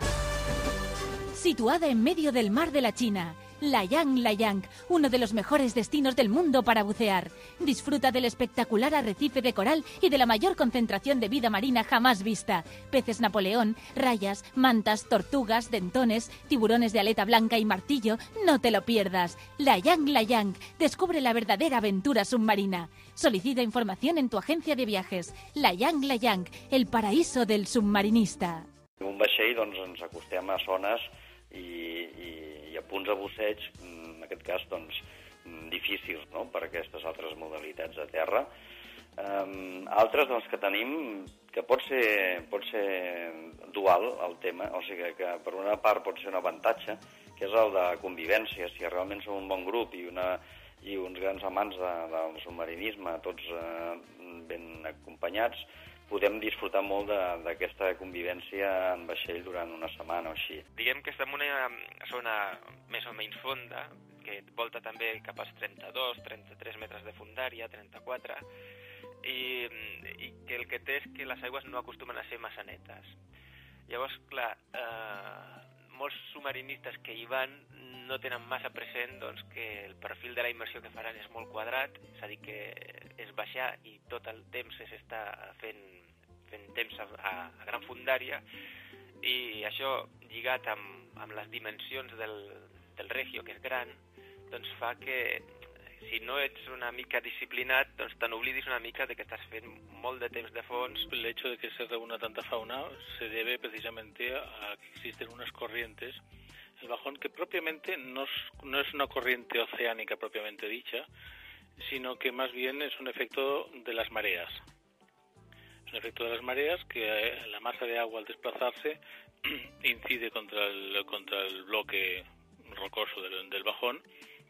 Situada en medio del mar de la China, Layang Layang, uno de los mejores destinos del mundo para bucear. Disfruta del espectacular arrecife de coral y de la mayor concentración de vida marina jamás vista. Peces Napoleón, rayas, mantas, tortugas, dentones, tiburones de aleta blanca y martillo. No te lo pierdas. Layang Layang, descubre la verdadera aventura submarina. Solicita información en tu agencia de viajes. Layang Layang, el paraíso del submarinista. En un vaixell ens acostem a zones i a punts de busseig, en aquest cas, difícils, no?, per aquestes altres modalitats de terra. Altres que tenim, que pot ser dual el tema, o sigui que per una part pot ser un avantatge, que és el de convivència. Si realment som un bon grup i uns grans amants del submarinisme, tots ben acompanyats, podem disfrutar molt d'aquesta convivència en vaixell durant una setmana o així. Diguem que estem en una zona més o menys fonda, que volta també cap als 32, 33 metres de fondària, 34, i que el que té és que les aigües no acostumen a ser massa netes. Llavors, clar, molts submarinistes que hi van no tenen massa present que el perfil de la immersió que faran és molt quadrat, és a dir, que és baixar i tot el temps s'està fent temps a gran fondària, i això lligat amb les dimensions del Regio, que és gran, doncs fa que si no ets una mica disciplinat, doncs te n'oblidis una mica de que estás fent molt de temps de fons. El hecho de que se reúna tanta fauna se debe precisamente a que existen unas corrientes. El bajón, que propiamente no es una corriente oceánica propiamente dicha, sino que más bien es un efecto de las mareas. Es un efecto de las mareas que la masa de agua al desplazarse incide contra el bloque rocoso del bajón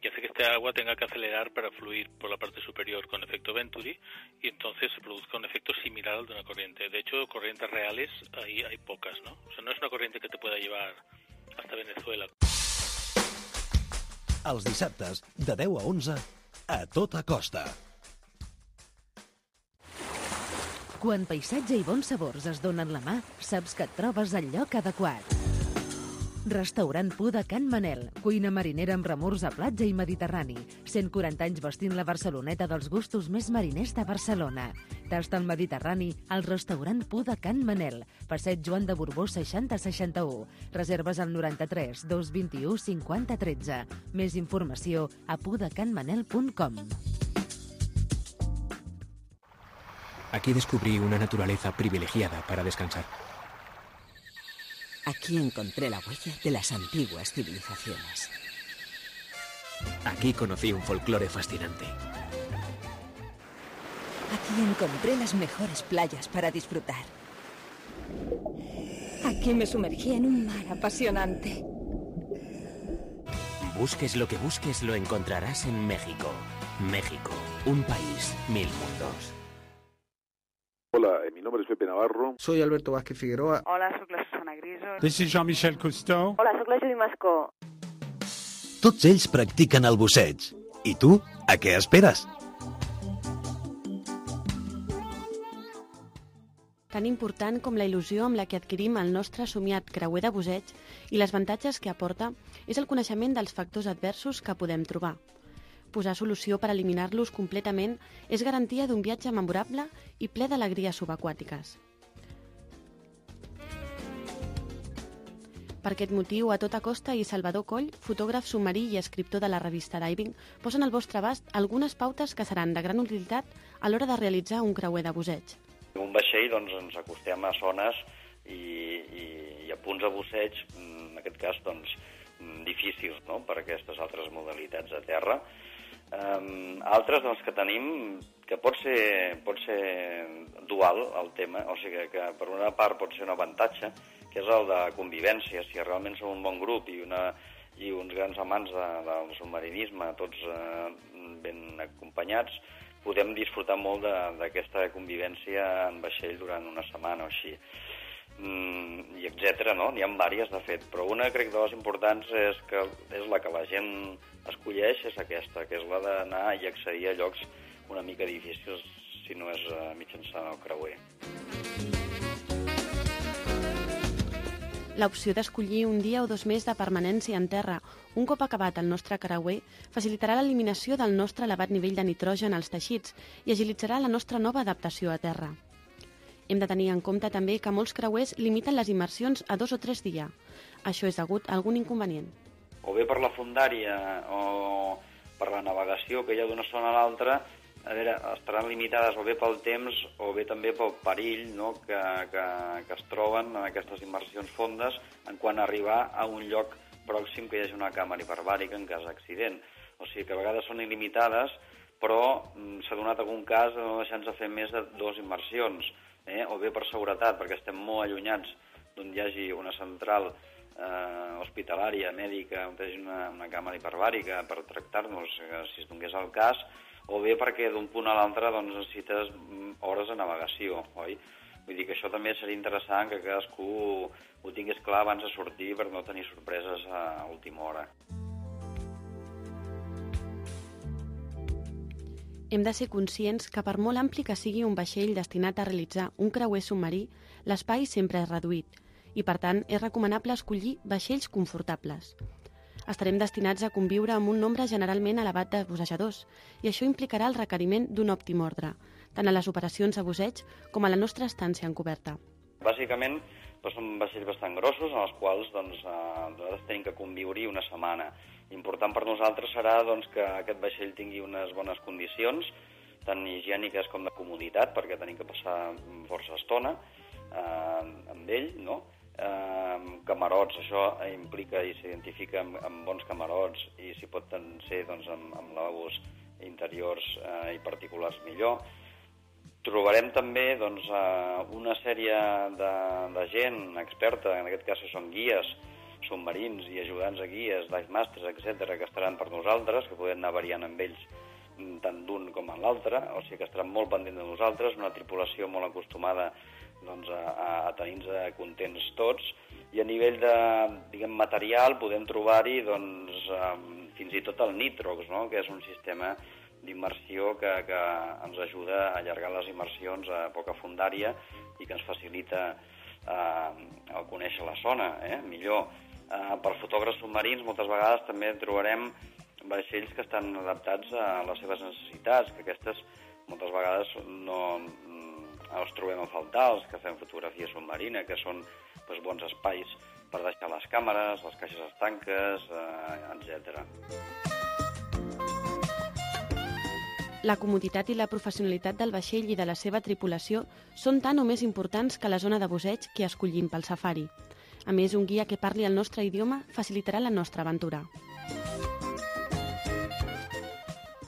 y hace que este agua tenga que acelerar para fluir por la parte superior con efecto Venturi y entonces se produzca un efecto similar al de una corriente. De hecho, corrientes reales hay pocas, ¿no? O sea, no es una corriente que te pueda llevar hasta Venezuela. Els dissabtes, de 10 a 11, a tota costa. Quan paisatge i bons sabors es donen la mà, saps que et trobes al lloc adequat. Restaurant Pu de Can Manel, cuina marinera amb remors a platja i mediterrani. 140 anys vestint la Barceloneta dels gustos més mariners de Barcelona. Tasta el Mediterrani al restaurant Pu de Can Manel, passeig Joan de Borbó 6061. Reserves al 93 221 50 13. Més informació a pudecanmanel.com. Aquí descubrí una naturaleza privilegiada para descansar. Aquí encontré la huella de las antiguas civilizaciones. Aquí conocí un folclore fascinante. Aquí encontré las mejores playas para disfrutar. Aquí me sumergí en un mar apasionante. Busques lo que busques, lo encontrarás en México. México, un país, mil mundos. Hola, mi nombre es Pepe Navarro. Soy Alberto Vázquez Figueroa. Hola, soc la Susana Griso. This is Jean-Michel Cousteau. Hola, soc la Judy Mascó. Tots ells practiquen el busseig. I tu, a què esperes? Tan important com la il·lusió amb la que adquirim el nostre somiat creuer de busseig i les avantatges que aporta és el coneixement dels factors adversos que podem trobar. Posar solució per eliminar-los completament és garantia d'un viatge memorable i ple d'alegries subaquàtiques. Per aquest motiu, A Tota Costa i Salvador Coll, fotògraf submarí i escriptor de la revista Diving, posen al vostre abast algunes pautes que seran de gran utilitat a l'hora de realitzar un creuer de busseig. En un vaixell doncs, ens acostem a zones i a punts de busseig, en aquest cas doncs, difícils, no?, per aquestes altres modalitats a terra. Altres doncs, que tenim, que pot ser dual el tema, o sigui que per una part pot ser un avantatge, que és el de convivència. Si realment som un bon grup i uns grans amants del submarinisme, tots ben acompanyats, podem disfrutar molt d'aquesta convivència en vaixell durant una setmana o així. I etcètera, no? N'hi ha diverses, de fet, però una, crec, de les importants és la que la gent escolleix, és aquesta, que és la d'anar i accedir a llocs una mica difícils, si no és mitjançant el creuer. L'opció d'escollir un dia o 2 més de permanència en terra, un cop acabat el nostre creuer, facilitarà l'eliminació del nostre elevat nivell de nitrogen als teixits i agilitzarà la nostra nova adaptació a terra. Hem de tenir en compte també que molts creuers limiten les immersions a 2 o 3 dies. Això és degut a algun inconvenient. O bé per la fondària o per la navegació que hi ha d'una zona a l'altra, a veure, estaran limitades o bé pel temps o bé també pel perill, no?, que es troben en aquestes immersions fondes en quant a arribar a un lloc pròxim que hi hagi una càmera hiperbàrica en cas d'accident. O sigui que a vegades són il·limitades, però s'ha donat algun cas de no deixar-nos fer més de 2 immersions, o bé per seguretat, perquè estem molt allunyats d'on hi hagi una central hospitalària, mèdica, on hi hagi una càmera hiperbàrica per tractar-nos, si es donés el cas, o bé perquè d'un punt a l'altre doncs, necessites hores de navegació, oi? Vull dir que això també seria interessant que cadascú ho tingués clar abans de sortir per no tenir sorpreses a última hora. Hem de ser conscients que per molt ampli que sigui un vaixell destinat a realitzar un creuer submarí, l'espai sempre és reduït i, per tant, és recomanable escollir vaixells confortables. Estarem destinats a conviure amb un nombre generalment elevat de bussejadors i això implicarà el requeriment d'un òptim ordre, tant a les operacions de busseig com a la nostra estància en coberta. Bàsicament, són vaixells bastant grossos en els quals nosaltres tenim que conviure-hi una setmana. Important per nosaltres serà que aquest vaixell tingui unes bones condicions, tant higièniques com de comoditat, perquè tenim que passar força estona amb ell, no? Camarots, això implica i s'identifica amb bons camarots i si pot ser amb lavabos interiors i particulars millor. Trobarem també una sèrie de gent experta, en aquest cas són guies, submarins i ajudants a guies, dive masters, etc., que estaran per nosaltres, que podem anar variant amb ells tant d'un com en l'altre, o sigui que estaran molt pendents de nosaltres, una tripulació molt acostumada doncs, a tenir-nos contents tots, i a nivell de, diguem, material podem trobar-hi doncs, fins i tot el Nitrox, no? Que és un sistema d'immersió que ens ajuda a allargar les immersions a poca fundària i que ens facilita el conèixer la zona millor. Per fotògrafs submarins moltes vegades també trobarem vaixells que estan adaptats a les seves necessitats, que aquestes moltes vegades no els trobem a faltar, els que fem fotografia submarina, que són bons espais per deixar les càmeres, les caixes estanques, etc. La comoditat i la professionalitat del vaixell i de la seva tripulació són tan o més importants que la zona de busseig que escollim pel safari. A més, un guia que parli el nostre idioma facilitarà la nostra aventura.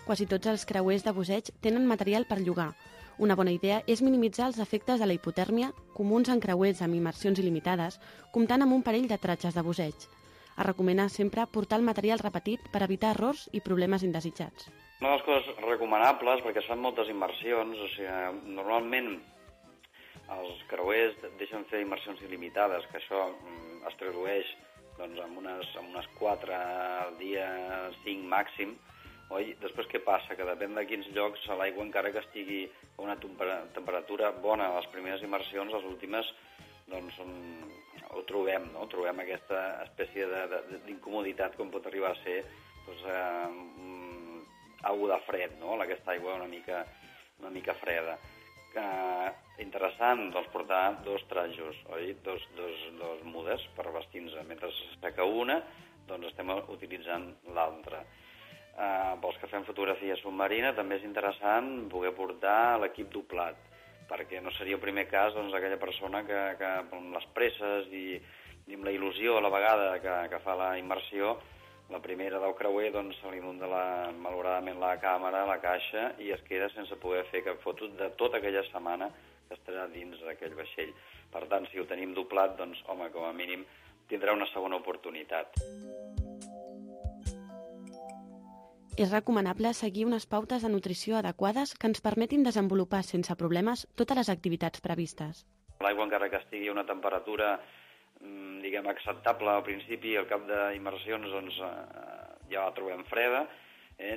Quasi tots els creuers de busseig tenen material per llogar. Una bona idea és minimitzar els efectes de la hipotèrmia comuns en creuers amb immersions il·limitades, comptant amb un parell de tratges de busseig. Es recomana sempre portar el material repetit per evitar errors i problemes indesitjats. Una de les coses recomanables, perquè es fan moltes immersions, o sigui, normalment els creuers deixen fer immersions il·limitades, que això es tradueix doncs, amb unes 4 al dia, 5 màxim. Oi? Després què passa? Que depèn de quins llocs l'aigua, encara que estigui a una temperatura bona a les primeres immersions, les últimes doncs, ho trobem, no? Trobem aquesta espècie d'incomoditat com pot arribar a ser doncs, aigua de fred, no? Aquesta aigua una mica freda. Interessant doncs, portar 2 trajos, oi? Dos mudes per vestir-nos. Mentre s'asseca una, doncs estem utilitzant l'altra. Pels que fem fotografia submarina també és interessant poder portar l'equip doblat, perquè no seria el primer cas doncs, aquella persona que amb les presses i amb la il·lusió a la vegada que fa la immersió, la primera del creuer doncs, se li inunda malauradament la càmera, la caixa, i es queda sense poder fer cap foto de tota aquella setmana que estarà dins d'aquell vaixell. Per tant, si ho tenim doblat, doncs, home, com a mínim tindrà una segona oportunitat. És recomanable seguir unes pautes de nutrició adequades que ens permetin desenvolupar sense problemes totes les activitats previstes. L'aigua, encara que estigui a una temperatura diguem acceptable al principi, al cap d'immersions doncs, ja la trobem freda.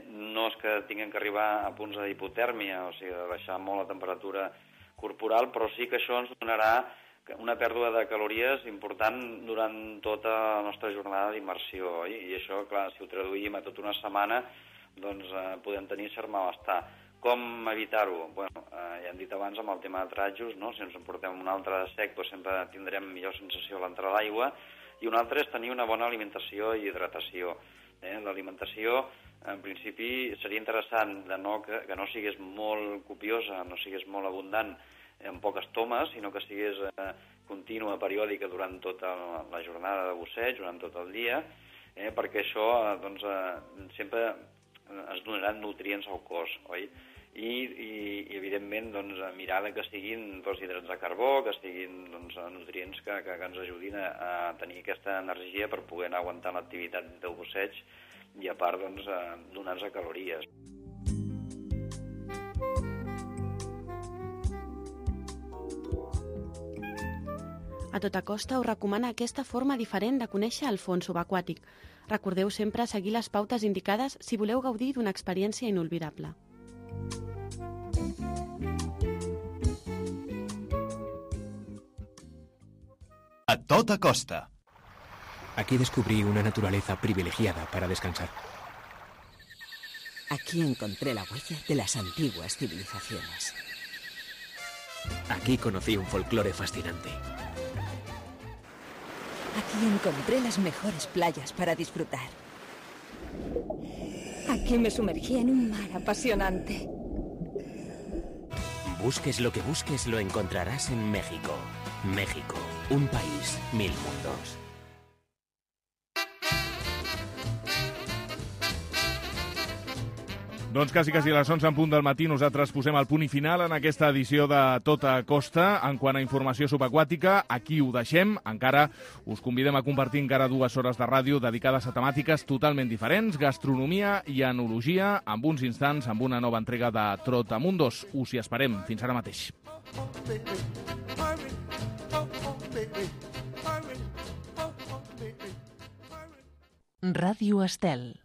No és que tinguem que arribar a punts d'hipotèrmia, o sigui, de baixar molt la temperatura corporal, però sí que això ens donarà una pèrdua de calories important durant tota la nostra jornada d'immersió, oi? I això, clar, si ho traduïm a tota una setmana, doncs podem tenir cert malestar. Com evitar-ho? Bueno, ja hem dit abans amb el tema de trajos, no? Si ens en portem un altre de sec, doncs sempre tindrem millor sensació a l'entrar a l'aigua, i un altre és tenir una bona alimentació i hidratació. L'alimentació, en principi, seria interessant que no sigués molt copiosa, no sigués molt abundant en poques tomes, sinó que sigués contínua, periòdica durant tota la jornada de busseig, durant tot el dia, perquè això doncs, sempre es donaran nutrients al cos, oi? I evidentment, doncs, mirar que siguin hidrats de carbó, que siguin doncs, nutrients que ens ajudin a tenir aquesta energia per poder anar aguantant l'activitat del busseig i, a part, doncs, donar-nos calories. A tota costa us recomana aquesta forma diferent de conèixer el fons subaquàtic. Recordeu sempre seguir les pautes indicades si voleu gaudir d'una experiència inolvidable. A tota costa. Aquí descubrí una naturaleza privilegiada para descansar. Aquí encontré la huella de las antiguas civilizaciones. Aquí conocí un folclore fascinante. Aquí encontré las mejores playas para disfrutar. Aquí me sumergí en un mar apasionante. Busques lo que busques, lo encontrarás en México. México, un país, 1000 mundos. Doncs quasi a les 11 en punt del matí nosaltres posem el punt i final en aquesta edició de Tota Costa. En quant a informació subaquàtica, aquí ho deixem. Encara us convidem a compartir encara 2 hores de ràdio dedicades a temàtiques totalment diferents, gastronomia i enologia, amb uns instants, amb una nova entrega de Trotamundos. Us hi esperem. Fins ara mateix. Ràdio Estel.